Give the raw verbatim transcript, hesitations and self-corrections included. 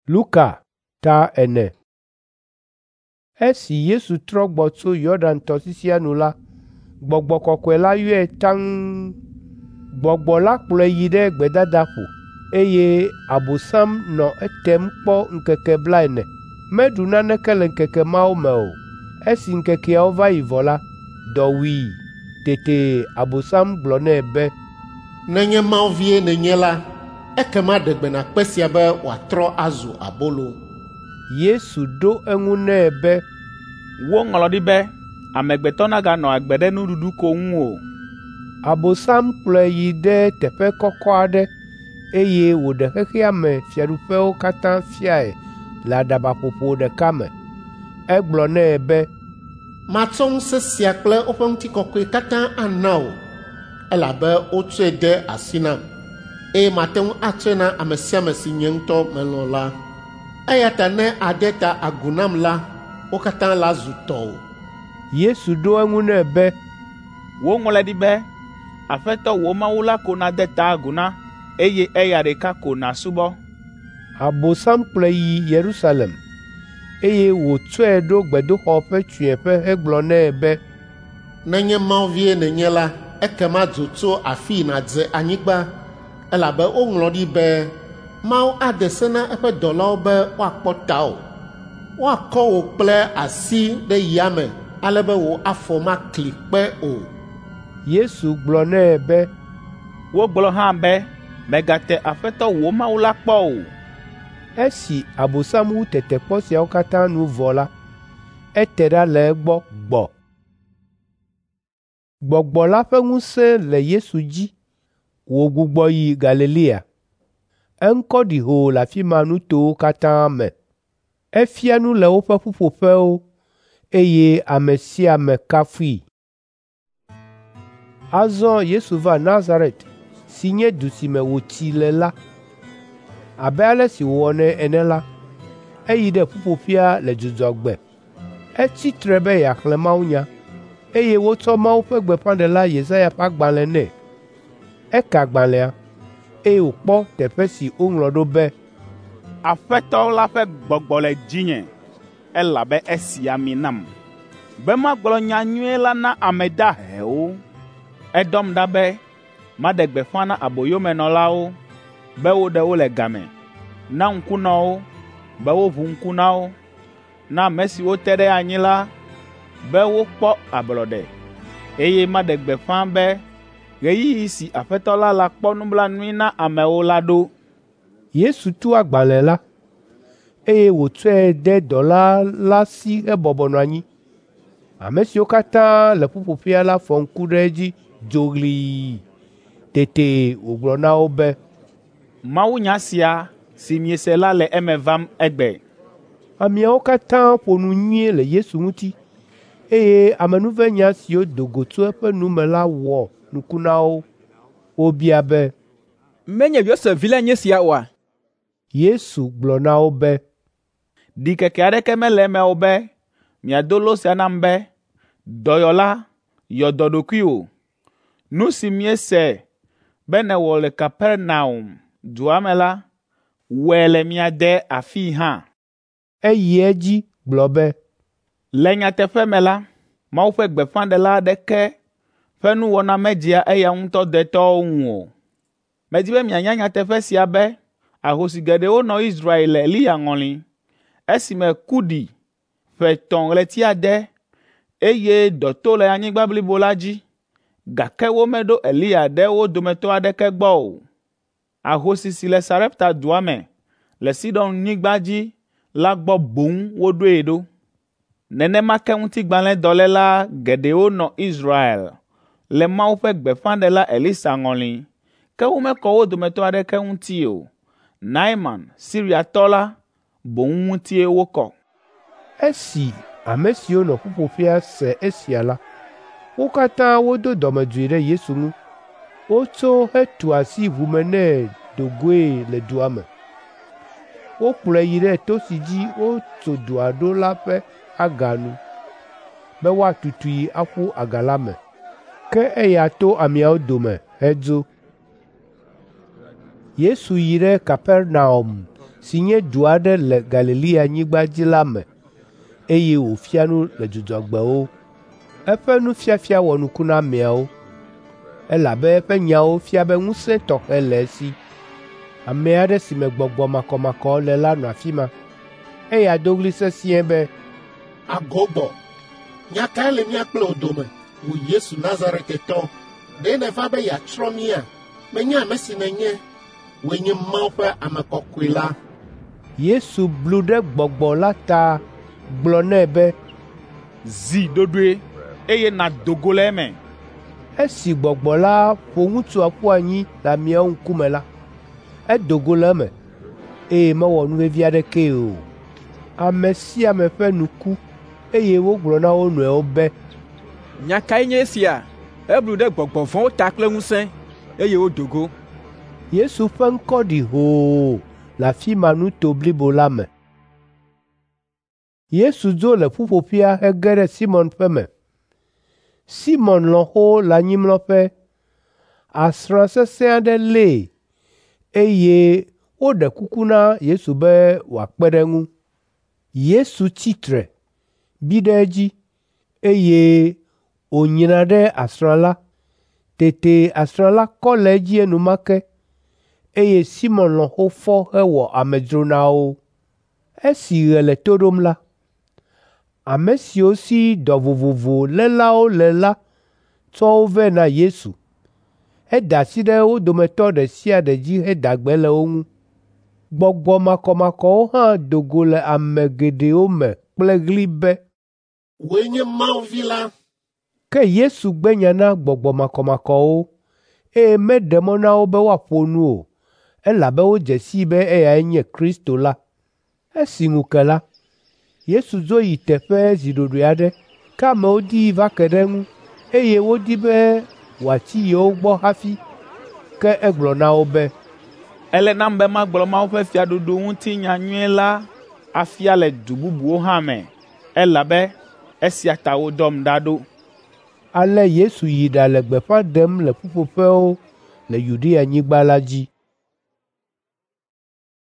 Luka ta ene. Esi Yesu trɔ gbɔ tso Yɔdan tɔsisia nu la, Gbɔgbɔ Kɔkɔe la yɔe taŋ. Gbɔgbɔ la kplɔe yi ɖe gbedadaƒo, eye Abosam nɔ etem kpɔ ŋkeke blaene. Meɖu naneke le ŋkeke mawo me o. Esi ŋkekeawo va yi vɔ la, dɔ wui. Tete Abosam gblɔ nɛ be, Nenye Mawu vie nènye la, ekema ɖe gbe na kpe sia be wòatrɔ azu abolo. Yesu ɖo eŋu nɛ be, Woŋlɔ ɖi be, amegbetɔ naganɔ agbe ɖe nuɖuɖu ko ŋu o. Abosam kplɔe yi ɖe teƒe kɔkɔ aɖe, eye wòɖe xexea me fiaɖuƒewo katã fiae le aɖabaƒoƒo ɖeka me. Egblɔ nɛ be, Matsɔ ŋusẽ sia kple woƒe ŋutikɔkɔe katã ana wò, elabe wotsɔe de asi nam, eye mate ŋu atsɔe na ame sia ame si nye ŋutɔ melɔ̃ la. Eya ta ne àde ta agu nam la, wo katã la zu tɔwò. Yesu ɖo eŋu nɛ be, Woŋlɔe ɖi be, Aƒetɔ wò Mawu la ko nàde ta agu na, eye eya ɖeka ko nàsubɔ. Abosam kplɔe yi Yerusalem, eye wòtsɔe ɖo gbedoxɔ ƒe tsũeƒe hegblɔ nɛ be, Nenye Mawu vie nènye la, ekema dzo tso afii nàdze anyigba, elabe woŋlɔ ɖi be, Mawu ade se na eƒe dɔlawo be woakpɔ tawò. Woakɔ wò kple asi ɖe yame ale be wò afɔ makli kpe o. Yesu gblɔ nɛ be, Wogblɔ hã be, mègate Aƒetɔ wò Mawu la kpɔ o. Esi Abosam wu tetekpɔ siawo katã nu vɔ la, ete ɖa le egbɔ gbɔ. Gbɔgbɔ la ƒe ŋusẽ le Yesu dzi wògbugbɔ yi Galilea. Eŋkɔ ɖi hoo le afi ma nutowo katã me. Efia nu le woƒe ƒuƒoƒewo, eye ame sia ame kafui. Azɔ Yesu va Nazaret si nye du si me wòtsi le la. Abe ale si wòwɔnɛ ene la, eyi ɖe ƒuƒoƒea le Dzudzɔgbe. Etsi tre be yeaxlẽ mawunya, eye wotsɔ Mawu ƒe gbeƒãɖela Yesaya ƒe agbalẽ nɛ. Eka agbalẽa, eye wòkpɔ teƒe si woŋlɔ ɖo be, Aƒetɔ la ƒe gbɔgbɔ le dzinye, elabe esi ami nam, be magblɔ nyanyui la na ame dahewo. Edɔm ɖa be maɖe gbeƒã na aboyomenɔlawo be woɖe wo le game, na ŋkunɔwo be woʋu ŋku na wo, na ame siwo te ɖe anyi la be wokpɔ ablɔɖe, eye maɖe gbeƒã be ɣeyiɣi si Aƒetɔ la lakpɔ nublanui na amewo la ɖo. Yesu tu agbalẽ la, eye wòtsɔe de dɔla la si hebɔbɔ nɔ anyi. Ame siwo katã le ƒuƒoƒea la fɔ ŋku ɖe edzi dzoɣlii. Tete wògblɔ na wo be, Mawunya sia si miese la le eme vam egbe. Ameawo katã ƒo nu nyuie le Yesu ŋuti, eye amenuvenya siwo do go tso eƒe nu me la wɔ nuku na wo. Wobia be, Menye Yosef vi lae nye sia oa? Yesu gblɔ na wo be, Ɖikeke aɖeke mele eme o be miado lo sia nam be, ‘Dɔyɔla, yɔ dɔ ɖokuiwò.’ Nu si míese be nèwɔ le Kapernaum dua me la, wɔe le mia de afii hã. Eyi edzi gblɔ be, Le nyateƒe me la, Mawu ƒe gbeƒãɖela aɖeke ƒe nuwɔna medzea eya ŋutɔ detɔwo ŋu o. Medi be mianya nyateƒe sia be ahosi geɖewo nɔ Israel le Eliya ŋɔli, esime ku ɖi ƒe etɔ̃ ɣleti ade, eye dɔ to le anyigba blibo la dzi, gake womeɖo Eliya ɖe wo dometɔ aɖeke gbɔ o. Ahosi si le Sarepta dua me le Sidon-nyigba dzi la gbɔ boŋ woɖoe ɖo. Nenema ke ŋutigbalẽdɔléla geɖewo nɔ Israel le Mawu ƒe gbeƒãɖela Elisa ŋɔli, ke womekɔ wo dometɔ aɖeke ŋuti o. Naeman, Siriatɔ la, boŋ ŋutie wokɔ. Esi ame siwo nɔ ƒuƒoƒea se esia la, wo katã wodo dɔmedzoe ɖe Yesu ŋu. Wotso hetu asi ʋume nɛ do goe le dua me. Wokplɔe yi ɖe to si dzi wotso dua ɖo la ƒe aga nu, be woatutui aƒu aga la me. Ke eya to ameawo dome hedzo. Yesu yi ɖe Kapernaum si nye du aɖe le Galileanyigba dzi la me, eye wòfia nu le Dzudzɔgbewo. Eƒe nufiafia wɔ nuku na ameawo, elabe eƒe nyawo fia be ŋusẽ tɔxɛ le esi. Ame aɖe si me gbɔgbɔ makɔmakɔ le la nɔ afi ma. Eya do ɣli sesĩe be, Agogbɔ, nya kae le mía kple wò dome, wò Yesu Nazaretetɔ? Ɖe nèva be yeatsrɔ̃ mía? Menya ame si nènye. Wòe nye Mawu ƒe Ame Kɔkɔe la. Yesu blu ɖe gbɔgbɔ la ta gblɔ nɛ be, Zi ɖoɖoe, eye nàdo go le eme. Esi gbɔgbɔ la ƒo ŋutsua ƒu anyi le ameawo ŋkume la, edo go le eme, eye mewɔ nuvevi aɖekee o. Ame sia ame ƒe nu ku, eye wogblɔ na wo nɔewo be, Nya kae nye esia? Eblu ɖe gbɔgbɔ vɔ̃wo ta kple ŋusẽ, eye wodo go. Yesu ƒe ŋkɔ ɖi hoo le afi ma nuto blibo la me. Yesu dzo le ƒuƒoƒea hege ɖe Simɔn ƒe me. Simɔn lɔ̃xo le anyimlɔƒe. Asrã sesẽ aɖe lée, eye woɖe kuku na Yesu be wòakpe ɖe eŋu. Yesu tsi tre, bi ɖe edzi, eye wònyra ɖe asrã la. Tete asrã la kɔ le edzi enumake, eye Simɔn lɔ̃xo fɔ hewɔ amedzro na wo. Esi ɣe le to ɖom la, ame siwo si dɔ vovovo lélawo le la tsɔ wo vɛ na Yesu. Eda asi ɖe wo dometɔ ɖe sia ɖe dzi heda gbe le wo ŋu. Gbɔgbɔ makɔmakɔwo hã do go le ame geɖewo me kple ɣli be, Wòe nye Mawu Vi la. Ke Yesu gbe nya na gbɔgbɔ makɔmakɔwo, eye meɖe mɔ na wo be woaƒo nu o, elabe wodze sii be eyae nye Kristo la. Esi ŋu ke la, Yesu dzo yi teƒe zi ɖoɖoe aɖe, ke amewo dii va ke ɖe eŋu, eye wodi be wòatsi yewo gbɔ hafi. Ke egblɔ na wo be, Ele nam be magblɔ Mawu ƒe fiaɖuɖu ŋuti nyanyui la afia le du bubuwo hã me, elabe esia ta wodɔm ɖa ɖo. Ale Yesu yi ɖale gbeƒã ɖem le ƒuƒoƒewo le Yudeanyigba la dzi.